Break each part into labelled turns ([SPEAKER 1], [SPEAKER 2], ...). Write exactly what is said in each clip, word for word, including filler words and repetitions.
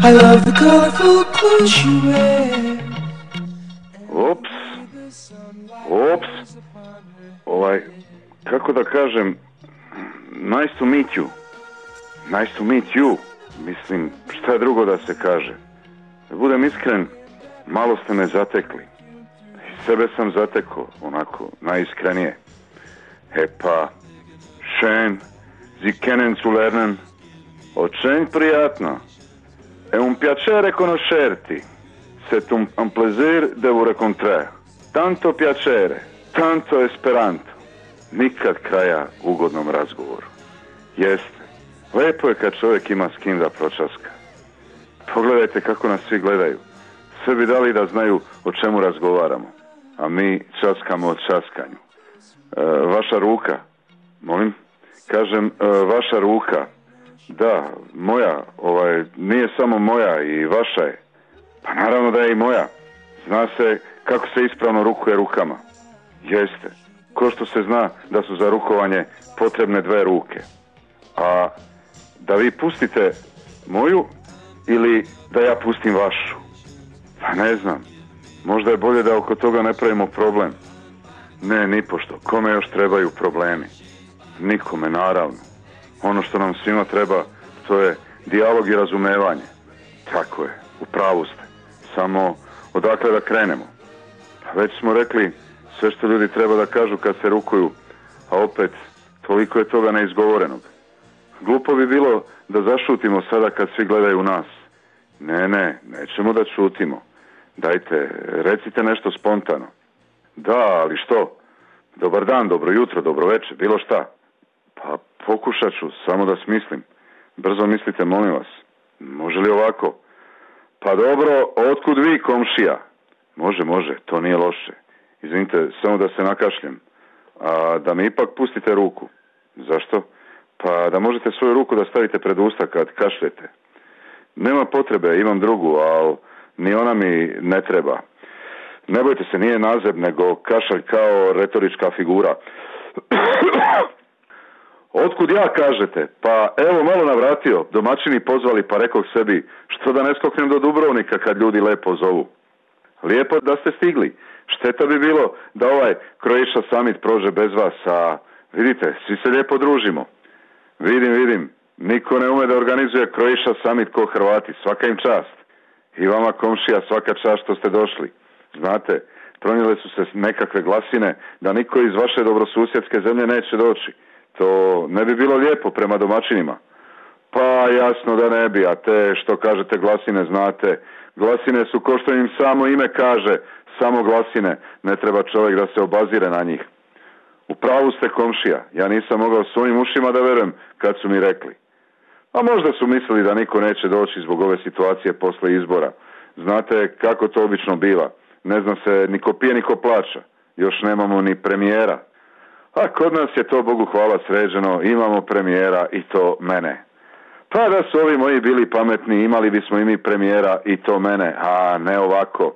[SPEAKER 1] I love the colorful clothes you wear.
[SPEAKER 2] Ops, ops, ovaj, kako da kažem, nice to meet you, nice to meet you, mislim, šta je drugo da se kaže. Da budem iskren, malo ste me zatekli, i sebe sam zatekao, onako, najiskrenije. E pa, schön, Sie kennen zu lernen, очень приятно, è un piacere conoscerti. C'est un, un plaisir de vous rencontrer. Tanto piacere, tanto esperanto. Nikad kraja ugodnom razgovoru. Jeste. Lepo je kad čovjek ima s kim da pročaska. Pogledajte kako nas svi gledaju. Sve bi dali da znaju o čemu razgovaramo. A mi časkamo o časkanju. E, vaša ruka. Molim? Kažem, e, vaša ruka. Da, moja. Ovaj, nije samo moja i vaša je. Pa naravno da je i moja. Zna se kako se ispravno rukuje rukama. Jeste. Ko što se zna da su za rukovanje potrebne dve ruke. A da vi pustite moju ili da ja pustim vašu? Pa ne znam. Možda je bolje da oko toga ne pravimo problem. Ne, nipošto. Kome još trebaju problemi? Nikome, naravno. Ono što nam svima treba, to je dijalog i razumevanje. Tako je. U pravu ste. Samo odakle da krenemo? Već smo rekli sve što ljudi treba da kažu kad se rukuju, a opet toliko je toga neizgovorenog. Glupo bi bilo da zašutimo sada kad svi gledaju u nas. Ne, ne, nećemo da šutimo. Dajte, recite nešto spontano. Da, ali što? Dobar dan, dobro jutro, dobro večer, bilo šta. Pa pokušat ću, samo da smislim. Brzo mislite, molim vas. Može li ovako? Pa dobro, otkud vi, komšija? Može, može, to nije loše. Izvinite, samo da se nakašljem. A da mi ipak pustite ruku. Zašto? Pa da možete svoju ruku da stavite pred usta kad kašljete. Nema potrebe, imam drugu, ali ni ona mi ne treba. Ne bojte se, nije nazeb, nego kašalj kao retorička figura. Otkud ja, kažete? Pa evo, malo navratio, domaćini pozvali, pa rekao sebi, što da ne skoknem do Dubrovnika kad ljudi lepo zovu. Lijepo da ste stigli. Šteta bi bilo da ovaj Croatia Summit prođe bez vas, a vidite, svi se lijepo družimo. Vidim, vidim, niko ne ume da organizuje Croatia Summit ko Hrvati, svaka im čast. I vama, komšija, svaka čast što ste došli. Znate, pronijele su se nekakve glasine da niko iz vaše dobrosusjedske zemlje neće doći. To ne bi bilo lijepo prema domaćinima. Pa jasno da ne bi, a te što kažete glasine, znate, glasine su ko što im samo ime kaže, samo glasine, ne treba čovjek da se obazire na njih. U pravu ste, komšija, ja nisam mogao svojim ušima da verujem kad su mi rekli. A možda su mislili da niko neće doći zbog ove situacije posle izbora. Znate kako to obično biva, ne zna se ni ko pije ni ko plaća, još nemamo ni premijera. A kod nas je to, Bogu hvala, sređeno, imamo premijera i to mene. Pa da su ovi moji bili pametni, imali bismo i mi premijera i to mene, a ne ovako.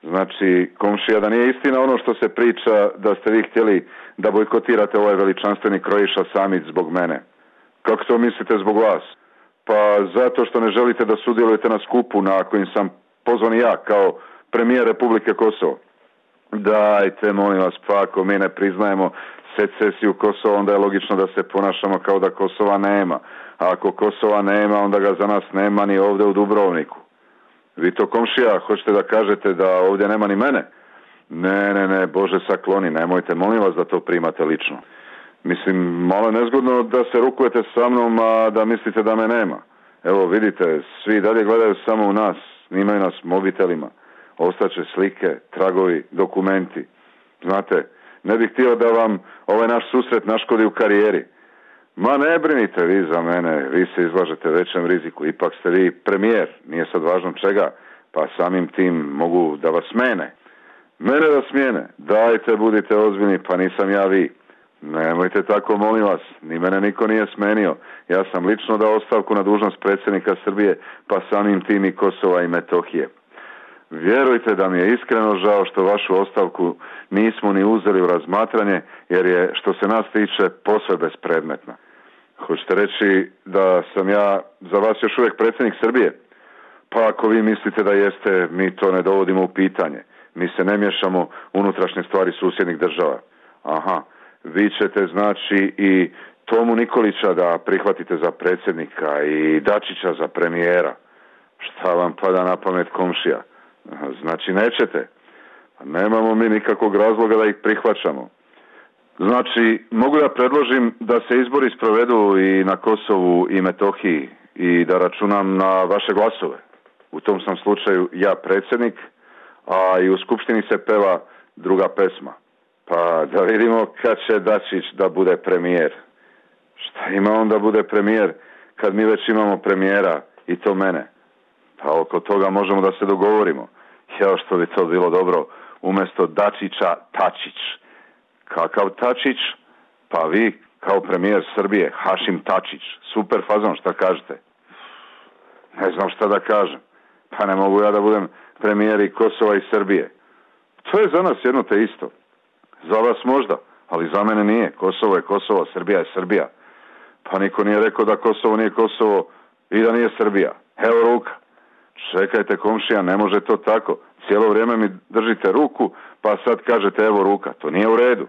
[SPEAKER 2] Znači, komšija, da nije istina ono što se priča da ste vi htjeli da bojkotirate ovaj veličanstveni Croatia Summit zbog mene. Kako to mislite zbog vas? Pa zato što ne želite da sudjelujete na skupu na kojim sam pozvan ja kao premijer Republike Kosovo. Dajte, molim vas, pa ako mi ne priznajemo secesiju Kosova, onda je logično da se ponašamo kao da Kosova nema. A ako Kosova nema, onda ga za nas nema ni ovdje u Dubrovniku. Vi to, komšija, hoćete da kažete da ovdje nema ni mene? Ne, ne, ne, Bože sakloni, nemojte, molim vas da to primate lično. Mislim, malo je nezgodno da se rukujete sa mnom, a da mislite da me nema. Evo, vidite, svi dalje gledaju samo u nas, snimaju nas mobitelima. Ostaće slike, tragovi, dokumenti. Znate, ne bih htio da vam ovaj naš susret naškodi u karijeri. Ma ne brinite vi za mene, vi se izlažete većem riziku. Ipak ste vi premijer, nije sad važno čega, pa samim tim mogu da vas smene. Mene da smijene, dajte, budite ozbiljni, pa nisam ja vi. Nemojte tako, molim vas, ni mene niko nije smenio. Ja sam lično dao ostavku na dužnost predsjednika Srbije, pa samim tim i Kosova i Metohije. Vjerujte da mi je iskreno žao što vašu ostavku nismo ni uzeli u razmatranje, jer je, što se nas tiče, posve bespredmetna. Hoćete reći da sam ja za vas još uvijek predsjednik Srbije? Pa ako vi mislite da jeste, mi to ne dovodimo u pitanje. Mi se ne miješamo unutrašnje stvari susjednih država. Aha, vi ćete znači i Tomu Nikolića da prihvatite za predsjednika i Dačića za premijera. Šta vam pada na pamet, komšija? Znači nećete. Nemamo mi nikakvog razloga da ih prihvaćamo. Znači, mogu da predložim da se izbori sprovedu i na Kosovu i Metohiji i da računam na vaše glasove. U tom sam slučaju ja predsjednik, a i u Skupštini se peva druga pesma. Pa da vidimo kad će Dačić da bude premijer. Šta ima on da bude premijer kad mi već imamo premijera i to mene? Pa oko toga možemo da se dogovorimo. Jao, što bi to bilo dobro umjesto Dačića Tačić. Kakav Tačić? Pa vi kao premijer Srbije, Hašim Tačić. Super fazon, šta kažete? Ne znam šta da kažem. Pa ne mogu ja da budem premijer i Kosova i Srbije. To je za nas jedno te isto. Za vas možda, ali za mene nije. Kosovo je Kosovo, Srbija je Srbija. Pa niko nije rekao da Kosovo nije Kosovo i da nije Srbija. Evo ruka. Čekajte, komšija, ne može to tako. Cijelo vrijeme mi držite ruku, pa sad kažete evo ruka. To nije u redu.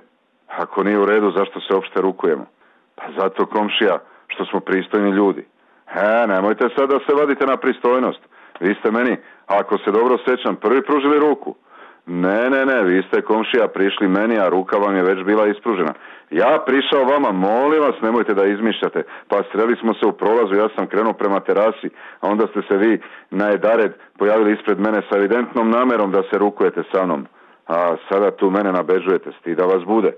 [SPEAKER 2] Ako nije u redu, zašto se uopšte rukujemo? Pa zato, komšija, što smo pristojni ljudi. E, nemojte sad da se vadite na pristojnost. Vi ste meni, ako se dobro sjećam, prvi pružili ruku. Ne, ne, ne, vi ste, komšija, prišli meni, a ruka vam je već bila ispružena. Ja prišao vama, molim vas, nemojte da izmišljate. Pa sreli smo se u prolazu, ja sam krenuo prema terasi, a onda ste se vi na jedared pojavili ispred mene sa evidentnom namerom da se rukujete sa mnom. A sada tu mene nabeđujete, stida vas bude.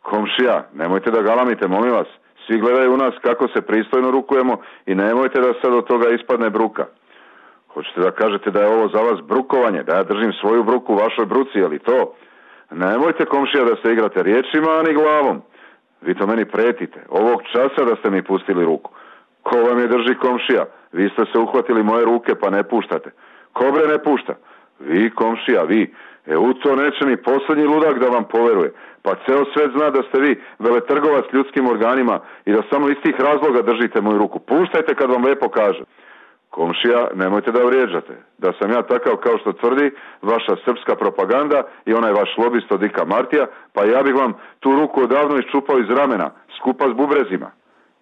[SPEAKER 2] Komšija, nemojte da galamite, molim vas. Svi gledaju u nas kako se pristojno rukujemo i nemojte da sad od toga ispadne bruka. Hoćete da kažete da je ovo za vas brukovanje, da ja držim svoju bruku u vašoj bruci, je li to? Nemojte, komšija, da se igrate riječima, ani glavom. Vi to meni pretite. Ovog časa da ste mi pustili ruku. Ko vam je drži, komšija? Vi ste se uhvatili moje ruke pa ne puštate. Ko bre ne pušta? Vi, komšija, vi. E u to neće ni posljednji ludak da vam poveruje. Pa ceo svet zna da ste vi veletrgovac ljudskim organima i da samo iz tih razloga držite moju ruku. Puštajte kad vam lepo kaže. Komšija, nemojte da vrijeđate. Da sam ja takav kao što tvrdi vaša srpska propaganda i onaj vaš lobist od Dika Martija, pa ja bih vam tu ruku odavno iščupao iz ramena, skupa s bubrezima.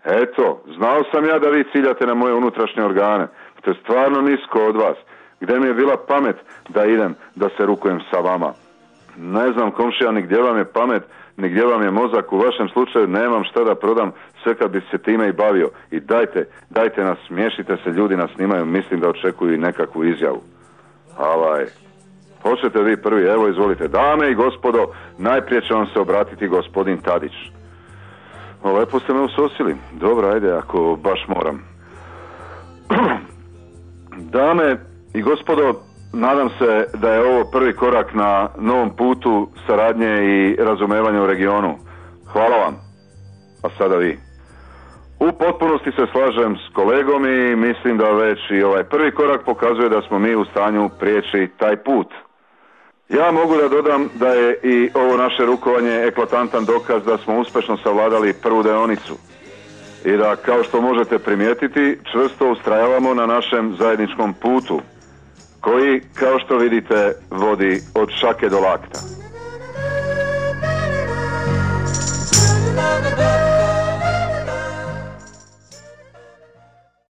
[SPEAKER 2] Eto, znao sam ja da vi ciljate na moje unutrašnje organe. To je stvarno nisko od vas. Gde mi je bila pamet da idem da se rukujem sa vama? Ne znam, komšija, ni gdje vam je pamet, ni gdje vam je mozak. U vašem slučaju nemam šta da prodam, sve kad bi se time i bavio. I dajte, dajte nas, smiješite se, ljudi nas snimaju, mislim da očekuju i nekakvu izjavu. Avaj, hoćete vi prvi, evo izvolite. Dame i gospodo, najprije će vam se obratiti gospodin Tadić. O, lepo ste me usosili. Dobro, ajde, ako baš moram. Dame i gospodo, nadam se da je ovo prvi korak na novom putu saradnje i razumevanja u regionu. Hvala vam. A sada vi. U potpunosti se slažem s kolegom i mislim da već i ovaj prvi korak pokazuje da smo mi u stanju prijeći taj put. Ja mogu da dodam da je i ovo naše rukovanje eklatantan dokaz da smo uspješno savladali prvu deonicu. I da, kao što možete primijetiti, čvrsto ustrajavamo na našem zajedničkom putu, koji, kao što vidite, vodi od šake do lakta.